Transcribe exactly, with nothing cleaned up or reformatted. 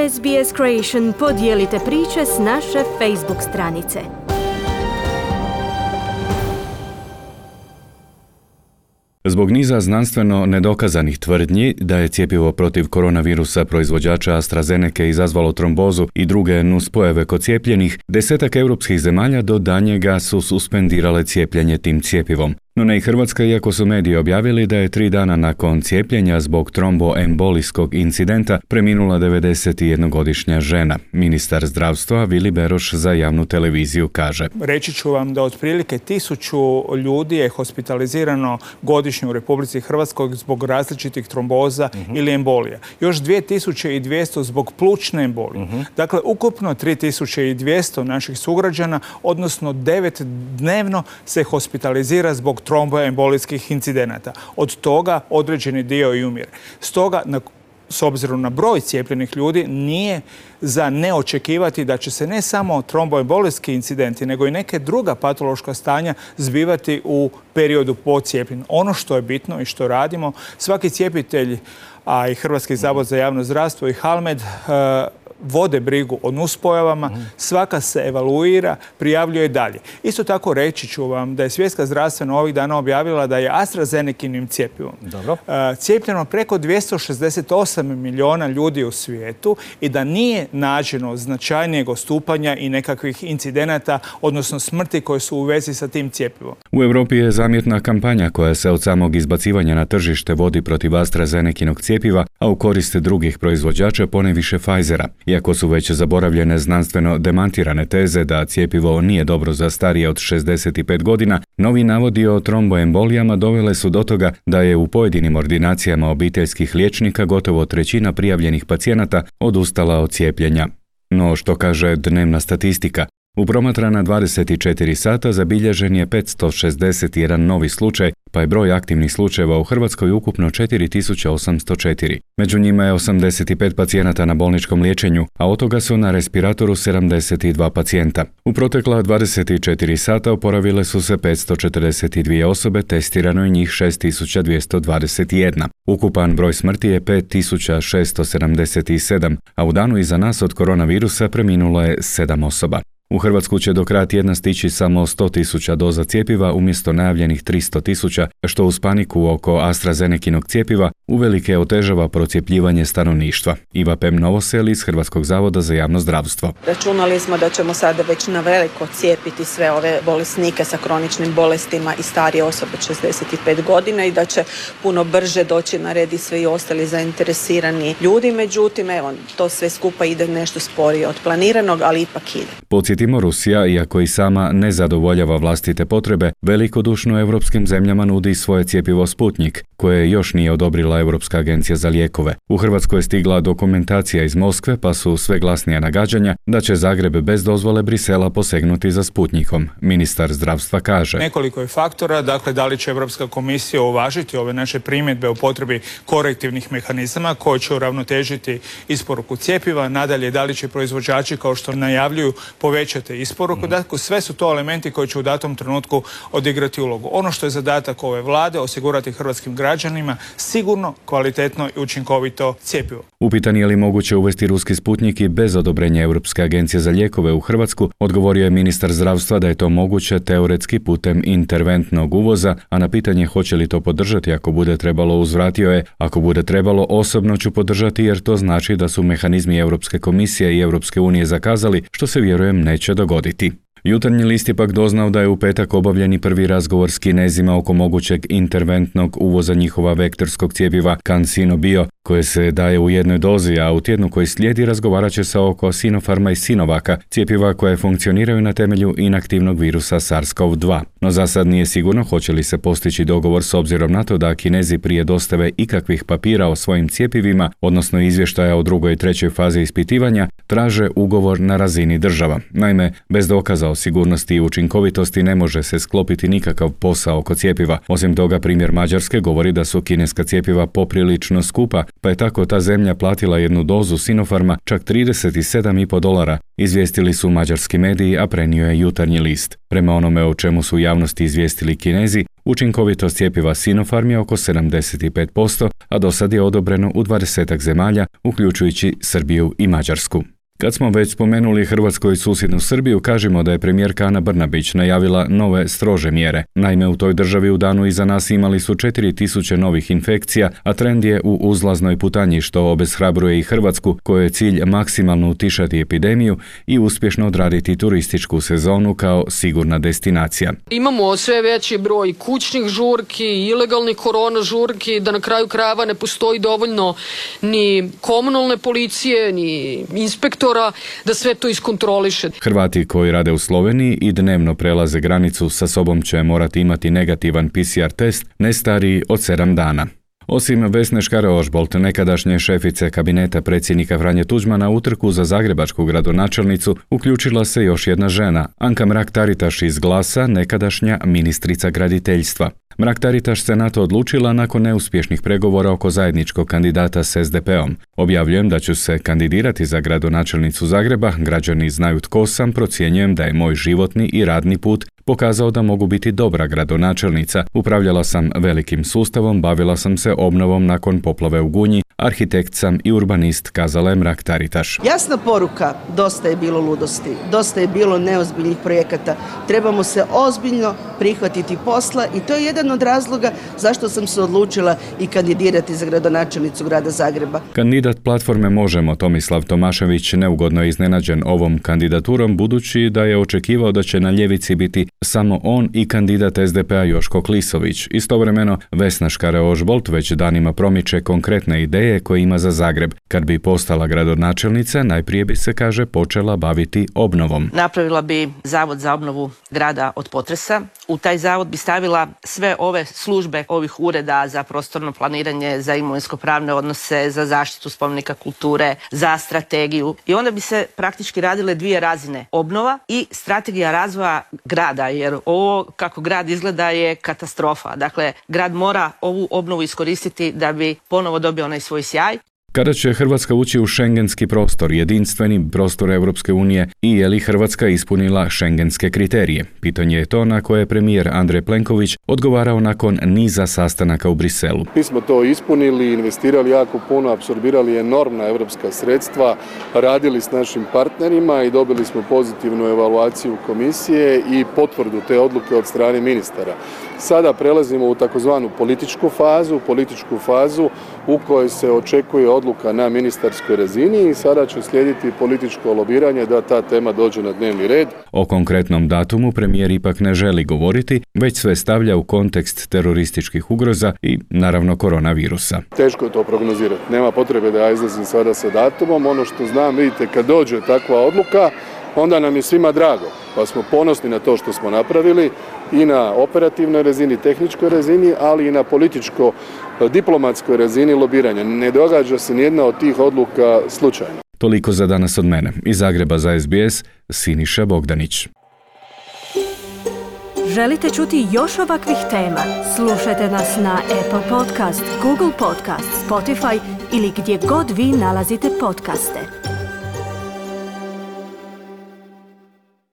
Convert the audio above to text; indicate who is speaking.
Speaker 1: S B S Creation podijelite priče s naše Facebook stranice.
Speaker 2: Zbog niza znanstveno nedokazanih tvrdnji da je cjepivo protiv koronavirusa proizvođača AstraZeneca izazvalo trombozu i druge nuspojave kod cijepljenih, desetak europskih zemalja do danjega su suspendirale cijepljenje tim cjepivom. No ne i Hrvatska, iako su mediji objavili da je tri dana nakon cijepljenja zbog tromboembolijskog incidenta preminula devedesetjednogodišnja žena. Ministar zdravstva Vili Beroš za javnu televiziju kaže:
Speaker 3: Reći ću vam da otprilike tisuću ljudi je hospitalizirano godišnje u Republici Hrvatskoj zbog različitih tromboza uh-huh. ili embolija. Još dvije tisuće dvjesto zbog plućne embolije. Uh-huh. Dakle, ukupno tri tisuće dvjesto naših sugrađana, odnosno devet dnevno se hospitalizira zbog tromboembolijskih incidenata. Od toga određeni dio i umire. Stoga, na, s obzirom na broj cijepljenih ljudi, nije za ne očekivati da će se ne samo tromboembolijski incidenti, nego i neke druga patološka stanja zbivati u periodu po cijepljenju. Ono što je bitno i što radimo, svaki cijepitelj, a i Hrvatski zavod za javno zdravstvo i Halmed, uh, vode brigu o nuspojavama, mm. svaka se evaluira, prijavljuje dalje. Isto tako reći ću vam da je Svjetska zdravstvena ovih dana objavila da je AstraZenekinim cjepivom uh, cijepljeno preko dvjesto šezdeset osam milijuna ljudi u svijetu i da nije nađeno značajnijeg odstupanja i nekakvih incidenata, odnosno smrti koje su u vezi sa tim cjepivom.
Speaker 2: U Europi je zamjetna kampanja koja se od samog izbacivanja na tržište vodi protiv AstraZenekinog cjepiva, a u korist drugih proizvođača, ponajviše Pfizera. Iako su već zaboravljene znanstveno demantirane teze da cjepivo nije dobro za starije od šezdeset pet godina, novi navodi o tromboembolijama dovele su do toga da je u pojedinim ordinacijama obiteljskih liječnika gotovo trećina prijavljenih pacijenata odustala od cijepljenja. No što kaže dnevna statistika? U promatrana dvadeset četiri sata zabilježen je petsto šezdeset jedan novi slučaj, pa je broj aktivnih slučajeva u Hrvatskoj ukupno četiri tisuće osamsto četiri. Među njima je osamdeset pet pacijenata na bolničkom liječenju, a od toga su na respiratoru sedamdeset dva pacijenta. U protekla dvadeset četiri sata oporavile su se petsto četrdeset dvije osobe, testirano je njih šest tisuća dvjesto dvadeset jedna. Ukupan broj smrti je pet tisuća šesto sedamdeset sedam, a u danu iza nas od koronavirusa preminulo je sedam osoba. U Hrvatsku će do kraja tjedna stići samo sto tisuća doza cjepiva umjesto najavljenih tristo tisuća, što uz paniku oko AstraZenekinog cjepiva uvelike otežava procjepljivanje stanovništva. Iva Pem Novosel iz Hrvatskog zavoda za javno zdravstvo.
Speaker 4: Računali smo da ćemo sada već na veliko cijepiti sve ove bolesnike sa kroničnim bolestima i starije osobe od šezdeset pet godina i da će puno brže doći na red i sve i ostali zainteresirani ljudi. Međutim, evo, to sve skupa ide nešto sporije od planiranog, ali ipak ide.
Speaker 2: Podsjetimo, Rusija, iako i sama ne zadovoljava vlastite potrebe, velikodušno europskim zemljama nudi svoje cjepivo Sputnik, koje još nije odobrila Europska agencija za lijekove. U Hrvatskoj je stigla dokumentacija iz Moskve, pa su sve glasnija nagađanja da će Zagreb bez dozvole Brisela posegnuti za Sputnikom. Ministar zdravstva kaže:
Speaker 3: Nekoliko je faktora, dakle da li će Europska komisija uvažiti ove naše primjedbe o potrebi korektivnih mehanizama koji će uravnotežiti isporuku cjepiva, nadalje da li će proizvođači, kao što najavljuju, povećati isporuku. Mm. Dakle, sve su to elementi koji će u datom trenutku odigrati ulogu. Ono što je zadatak ove vlade, osigurati hrvatskim građanima sigurno, kvalitetno i učinkovito cjepivo.
Speaker 2: Upitan je li moguće uvesti ruski Sputnik i bez odobrenja Europske agencije za lijekove u Hrvatsku, odgovorio je ministar zdravstva da je to moguće teoretski putem interventnog uvoza, a na pitanje hoće li to podržati ako bude trebalo, uzvratio je: ako bude trebalo, osobno ću podržati, jer to znači da su mehanizmi Europske komisije i Europske unije zakazali, što se vjerujem neće dogoditi. Jutarnji list je pak doznao da je u petak obavljeni prvi razgovor s Kinezima oko mogućeg interventnog uvoza njihova vektorskog cjepiva CanSino Bio, koje se daje u jednoj dozi, a u tjednu koji slijedi razgovarat će se oko Sinopharma i Sinovaka, cjepiva koje funkcioniraju na temelju inaktivnog virusa SARS-CoV dva. No za sad nije sigurno hoće li se postići dogovor s obzirom na to da Kinezi prije dostave ikakvih papira o svojim cjepivima, odnosno izvještaja o drugoj i trećoj fazi ispitivanja, traže ugovor na razini država. Naime, bez dokaza o sigurnosti i učinkovitosti ne može se sklopiti nikakav posao oko cjepiva. Osim toga, primjer Mađarske govori da su kineska cjepiva poprilično skupa, pa je tako ta zemlja platila jednu dozu Sinopharma čak trideset sedam i pol dolara, izvijestili su mađarski mediji, a prenio je Jutarnji list. Prema onome o čemu su javnosti izvijestili Kinezi, učinkovitost cjepiva Sinopharm je oko sedamdeset pet posto, a do sad je odobreno u dvadesetak zemalja, uključujući Srbiju i Mađarsku. Kad smo već spomenuli Hrvatsku i susjednu Srbiju, kažemo da je premijerka Ana Brnabić najavila nove strože mjere. Naime, u toj državi u danu iza nas imali su četiri tisuće novih infekcija, a trend je u uzlaznoj putanji, što obeshrabruje i Hrvatsku, kojoj je cilj maksimalno utišati epidemiju i uspješno odraditi turističku sezonu kao sigurna destinacija.
Speaker 5: Imamo sve veći broj kućnih žurki, ilegalnih korona žurki, da na kraju krajeva ne postoji dovoljno ni komunalne policije, ni inspektora da sve to iskontroliše.
Speaker 2: Hrvati koji rade u Sloveniji i dnevno prelaze granicu sa sobom će morati imati negativan P C R test ne stariji od sedam dana. Osim Vesne Škare-Ožbolt, nekadašnje šefice kabineta predsjednika Franje Tuđmana, u trku za zagrebačku gradonačelnicu uključila se još jedna žena, Anka Mrak-Taritaš iz Glasa, nekadašnja ministrica graditeljstva. Mrak-Taritaš se na to odlučila nakon neuspješnih pregovora oko zajedničkog kandidata s S D P-om. Objavljujem da ću se kandidirati za gradonačelnicu Zagreba, građani znaju tko sam, procjenjujem da je moj životni i radni put pokazao da mogu biti dobra gradonačelnica. Upravljala sam velikim sustavom, bavila sam se obnovom nakon poplave u Gunji, arhitekt sam i urbanist, kazala je Mrak-Taritaš.
Speaker 6: Jasna poruka, dosta je bilo ludosti, dosta je bilo neozbiljnih projekata, trebamo se ozbiljno prihvatiti posla i to je jedan od razloga zašto sam se odlučila i kandidirati za gradonačelnicu grada Zagreba.
Speaker 2: Kandidat platforme Možemo, Tomislav Tomašević, neugodno je iznenađen ovom kandidaturom, budući da je očekivao da će na ljevici biti samo on i kandidat S D P-a Joško Klisović. Istovremeno, Vesna Škare-Ožbolt već danima promiče konkretne ideje koje ima za Zagreb. Kad bi postala gradonačelnica, najprije bi se, kaže, počela baviti obnovom.
Speaker 7: Napravila bi zavod za obnovu grada od potresa. U taj zavod bi stavila sve ove službe ovih ureda za prostorno planiranje, za imovinsko-pravne odnose, za zaštitu spomenika kulture, za strategiju. I onda bi se praktički radile dvije razine. Obnova i strategija razvoja grada, jer ovo kako grad izgleda je katastrofa. Dakle, grad mora ovu obnovu iskoristiti da bi ponovo dobio onaj svoj sjaj.
Speaker 2: Kada će Hrvatska ući u šengenski prostor, jedinstveni prostor Europske unije, i je li Hrvatska ispunila šengenske kriterije? Pitanje je to na koje je premijer Andrej Plenković odgovarao nakon niza sastanaka u Briselu.
Speaker 8: Mi smo to ispunili, investirali jako puno, apsorbirali enormna europska sredstva, radili s našim partnerima i dobili smo pozitivnu evaluaciju komisije i potvrdu te odluke od strane ministara. Sada prelazimo u takozvanu političku fazu, političku fazu u kojoj se očekuje odluka na ministarskoj razini i sada će slijediti političko lobiranje da ta tema dođe na dnevni red.
Speaker 2: O konkretnom datumu premijer ipak ne želi govoriti, već sve stavlja u kontekst terorističkih ugroza i naravno koronavirusa.
Speaker 8: Teško je to prognozirati. Nema potrebe da ja izlazim sada sa datumom. Ono što znam, vidite, kad dođe takva odluka, onda nam je svima drago, pa smo ponosni na to što smo napravili i na operativnoj razini, tehničkoj razini, ali i na političko-diplomatskoj razini lobiranja. Ne događa se nijedna od tih odluka slučajno.
Speaker 2: Toliko za danas od mene. Iz Zagreba za S B S, Siniša Bogdanić.
Speaker 1: Želite čuti još ovakvih tema? Slušajte nas na Apple Podcast, Google Podcast, Spotify ili gdje god vi nalazite podcaste.